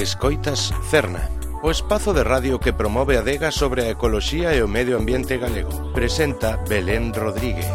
Escoitas Cerna, o espazo de radio que promove a adega sobre a ecoloxía e o medio ambiente galego. Presenta Belén Rodríguez.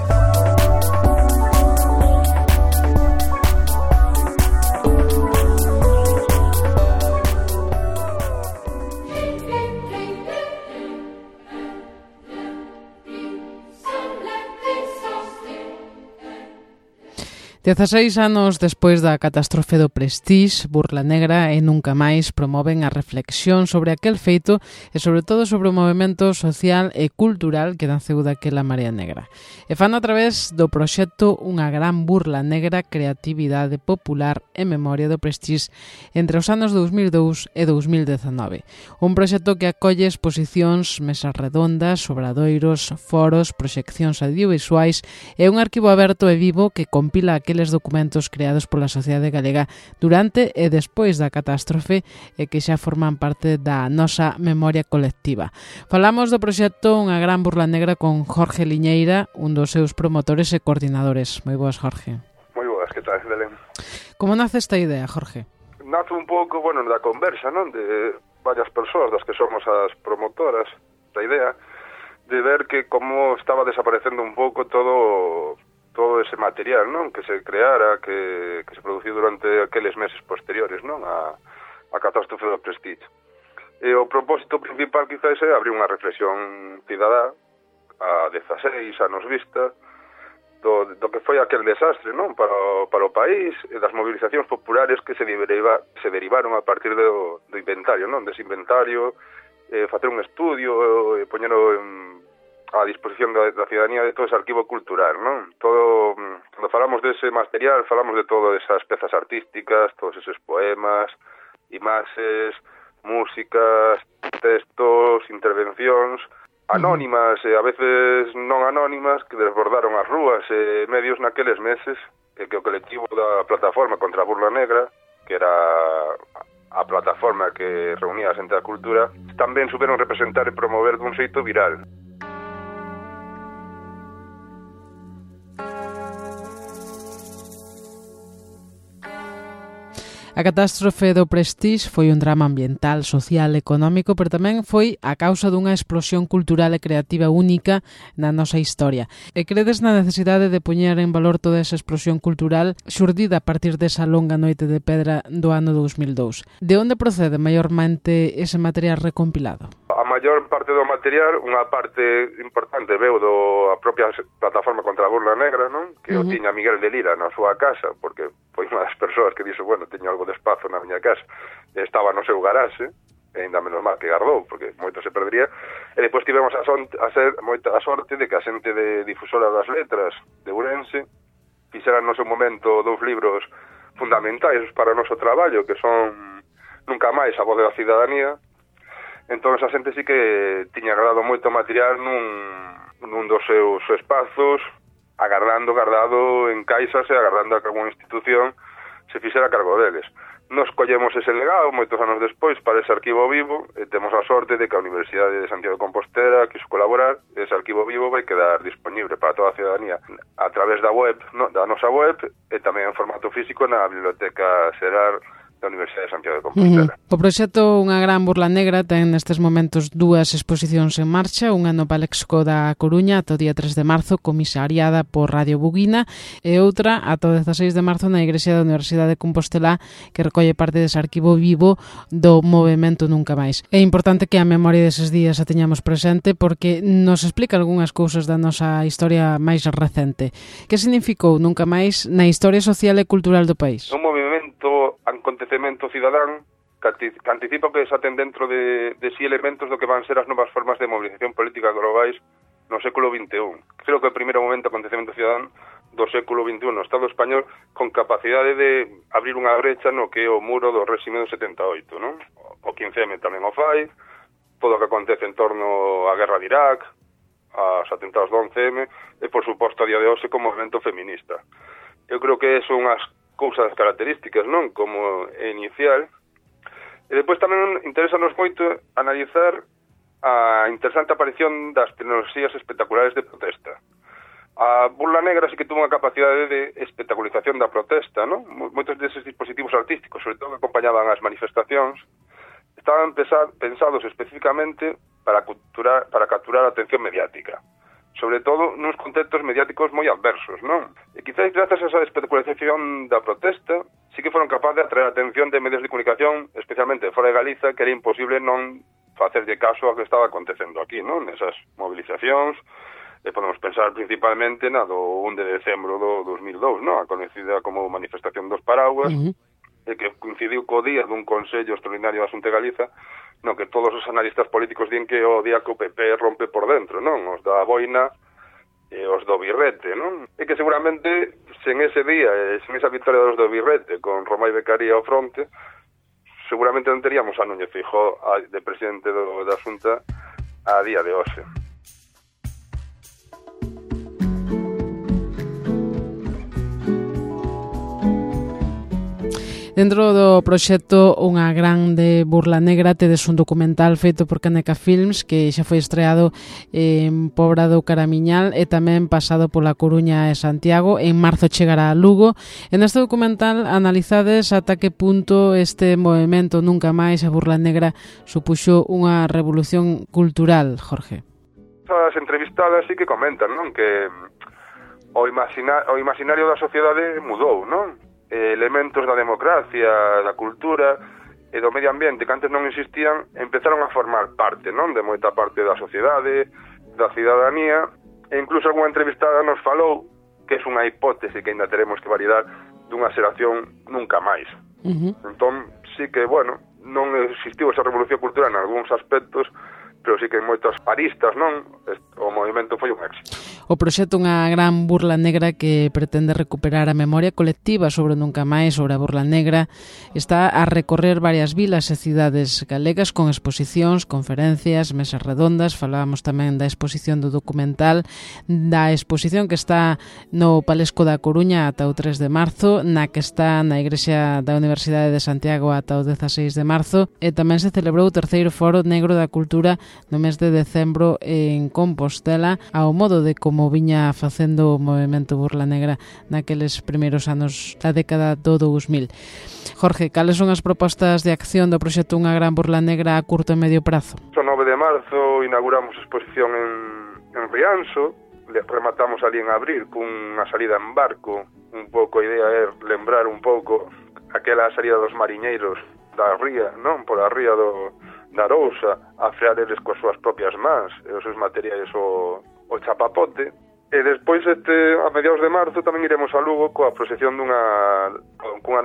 Dezaseis anos despois da catástrofe do Prestige, Burla Negra e Nunca Máis promoven a reflexión sobre aquel feito e sobre todo sobre o movemento social e cultural que naceu daquela Marea Negra. E fan a través do proxecto Unha Gran Burla Negra, Creatividade Popular e Memoria do Prestige entre os anos 2002 e 2019. Un proxecto que acolle exposicións, mesas redondas, obradoiros, foros, proxeccións audiovisuais e un arquivo aberto e vivo que compila aqueles documentos creados pola sociedade galega durante e despois da catástrofe e que xa forman parte da nosa memoria colectiva. Falamos do proxecto Unha Gran Burla Negra con Jorge Liñeira, un dos seus promotores e coordinadores. Moi boas, Jorge. Moi boas, que tal, Belén? Como nace esta idea, Jorge? Nace un pouco, da conversa, non? De varias persoas das que somos as promotoras da idea, de ver que como estaba desaparecendo un pouco todo ese material, non? Que se creara, que se produciu durante aqueles meses posteriores, non? A catástrofe do Prestige. E o propósito principal quizás é abrir unha reflexión cidadá a 16 anos vista do que foi aquel desastre, non? Para o país e das movilizacións populares que se derivaron a partir do inventario, non? Dese inventario, facer un estudio e poñelo a disposición da cidadanía de todo ese arquivo cultural, non? Cando falamos dese material, falamos de todas esas pezas artísticas, todos eses poemas, imaxes, músicas, textos, intervencións, anónimas e a veces non anónimas, que desbordaron as rúas e medios naqueles meses, e que o colectivo da Plataforma contra a Burla Negra, que era a plataforma que reunía a xente da cultura, tamén souberon representar e promover dun xeito viral. A catástrofe do Prestige foi un drama ambiental, social, económico, pero tamén foi a causa dunha explosión cultural e creativa única na nosa historia. E credes na necesidade de poñer en valor toda esa explosión cultural xurdida a partir desa longa noite de pedra do ano 2002. De onde procede maiormente ese material recompilado? A maior parte do material, unha parte importante veu a propia Plataforma contra a Burla Negra, non? Que o tiña Miguel de Lira na súa casa, porque foi unha das persoas que dixo, teño algo de espazo na miña casa, estaba no seu garaxe, e ainda menos mal que gardou, porque moito se perdería, e depois tivemos a sorte de que a xente de Difusora das Letras de Ourense fixeran no seu momento 2 libros fundamentais para o noso traballo, que son Nunca Máis, a voz da cidadanía. Entón a xente sí que tiña agardado moito material nun dos seus espazos, guardado en caixas e agardando a que alguna institución se fixera cargo deles. Nos collemos ese legado moitos anos despois para ese arquivo vivo e temos a sorte de que a Universidade de Santiago de Compostela quiso colaborar. Ese arquivo vivo vai quedar disponible para toda a cidadanía a través da web, da nosa web, e tamén en formato físico na Biblioteca Xerar da Universidade de Santiago de Compostela. O proxecto Unha Gran Burla Negra ten nestes momentos 2 exposicións en marcha, unha no Palexco da Coruña ata o día 3 de marzo, comisariada por Radio Buguina, e outra ata o 16 de marzo na Igrexa da Universidade de Compostela, que recolle parte dese arquivo vivo do movemento Nunca Máis. É importante que a memoria deses días a teñamos presente porque nos explica algunhas cousas da nosa historia máis recente. Que significou Nunca Máis na historia social e cultural do país? Un acontecemento cidadán que anticipa que desaten dentro de si elementos do que van ser as novas formas de movilización política globais no século XXI. Creo que o primeiro momento acontecemento cidadán do século XXI no Estado español con capacidade de abrir unha brecha no que é o muro do réxime do 78, non? O 15M tamén o fai, todo o que acontece en torno á guerra de Irak, aos atentados do 11M e, por suposto, a día de hoxe como movimento feminista. Eu creo que son as cousas características, non? Como inicial. E depois tamén interesanos moito analizar a interesante aparición das tecnoloxías espectaculares de protesta. A Burla Negra sí que tuvo unha capacidade de espectacularización da protesta, non? Moitos deses dispositivos artísticos, sobre todo que acompañaban as manifestacións, estaban pensados especificamente para capturar a atención mediática, sobre todo nuns contextos mediáticos moi adversos, non? E quizás grazas a esa especulación da protesta, sí que foron capaces de atraer a atención de medios de comunicación, especialmente fora de Galiza, que era imposible non facerlle caso a que estaba acontecendo aquí, non? Nesas movilizacións, e podemos pensar principalmente na do 1 de decembro do 2002, non? A conhecida como manifestación dos paraguas, e que coincidiu co día dun Consello Extraordinario da Xunta de Galiza, no que todos os analistas políticos din que o día que o PP rompe por dentro, non? Os da boina e os do birrete, non? E que seguramente, sen ese día, sen esa victoria dos do birrete, con Romai Beccaria ao fronte, seguramente non teríamos a Núñez Feijóo de presidente da Xunta a día de hoxe. Dentro do proxecto Unha grande burla negra tedes un documental feito por Caneca Films que xa foi estreado en Pobra do Caramiñal e tamén pasado pola Coruña e Santiago. En marzo chegará a Lugo. En este documental analizades ata que punto este movemento Nunca Máis a burla negra supuxo unha revolución cultural, Jorge. As entrevistadas sí que comentan, non? Que o imaginario da sociedade mudou, non? Elementos da democracia, da cultura e do medio ambiente que antes non existían empezaron a formar parte, non? De moita parte da sociedade, da cidadanía, e incluso algunha entrevistada nos falou que é unha hipótese que ainda teremos que validar dunha xeración nunca máis. Entón, sí que, bueno, non existiu esa revolución cultural en algúns aspectos, pero sí que en moitos aristas, non? O movimento foi un éxito. O proxecto Unha gran burla negra que pretende recuperar a memoria colectiva sobre Nunca Máis, sobre a burla negra, está a recorrer varias vilas e cidades galegas con exposicións, conferencias, mesas redondas. Falábamos tamén da exposición do documental, da exposición que está no Palesco da Coruña ata o 3 de marzo, na que está na Igrexa da Universidade de Santiago ata o 16 de marzo, e tamén se celebrou o terceiro Foro Negro da Cultura no mes de decembro en Compostela, ao modo de como viña facendo o movemento burla negra naqueles primeiros anos da década do 2000. Jorge, cales son as propostas de acción do proxecto Unha gran burla negra a curto e medio prazo? O 9 de marzo inauguramos a exposición en Rianxo, rematamos ali en abril cunha salida en barco. Un pouco a idea é lembrar un pouco aquela salida dos mariñeiros da ría, non? Por a ría da Arousa, a frear eles coas súas propias mans e os seus materiais o chapapote. E despois a mediados de marzo tamén iremos a Lugo cunha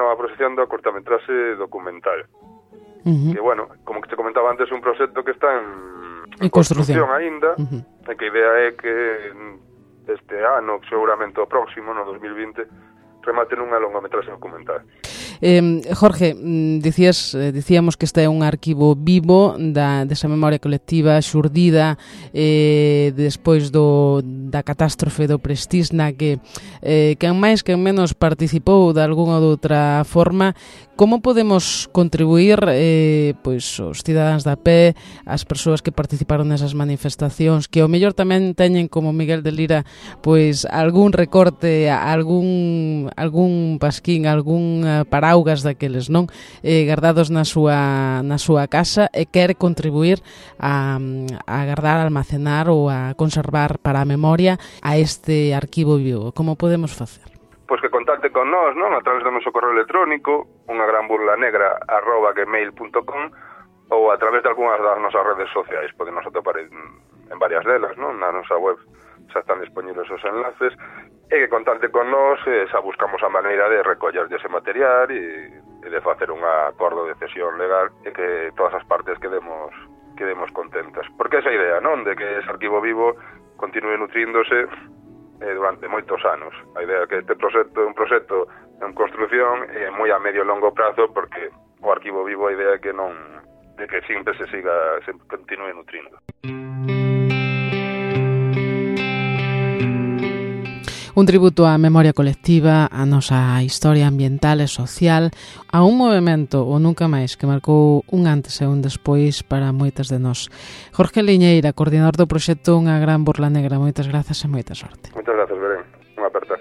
nova proxección da cortametraxe documental. Que, bueno, como que te comentaba antes, é un proxecto que está en construcción aínda, e que a idea é que este ano, seguramente o próximo, no 2020, rematen unha longametraxe documental. Jorge, dicíamos que este é un arquivo vivo desa memoria colectiva xurdida despois da catástrofe do Prestige, na que quen máis quen menos participou de algunha ou doutra forma. Como podemos contribuir pois os cidadáns da pé, as persoas que participaron nesas manifestacións, que ao mellor tamén teñen, como Miguel de Lira, pois algún recorte, algún pasquín, algún paraugas daqueles, non? Guardados na súa casa, e quere contribuir a guardar, a almacenar ou a conservar para a memoria a este arquivo vivo. Como podemos facer? Pois que contacte con nós, non? A través do noso correo electrónico, ungagranburlanegra@gmail.com, ou a través de algunhas das nosas redes sociais. Podemos atopar en varias delas, non? Na nosa web xa están disponibles os enlaces, e que contacte con nós, xa buscamos a maneira de recoller ese material e de facer un acordo de cesión legal e que todas as partes quedemos contentas. Porque esa idea, non? De que ese arquivo vivo continue nutríndose durante moitos anos. A idea é que este proxecto é un proxecto en construcción e moi a medio e longo prazo, porque o arquivo vivo a idea é que non, de que sempre se continue nutrindo. Un tributo á memoria colectiva, á nosa historia ambiental e social, a un movemento, o Nunca Máis, que marcou un antes e un despois para moitas de nós. Jorge Liñeira, coordinador do proxecto Unha gran burla negra, moitas grazas e moita sorte. Moitas grazas, Belén. Unha aperta.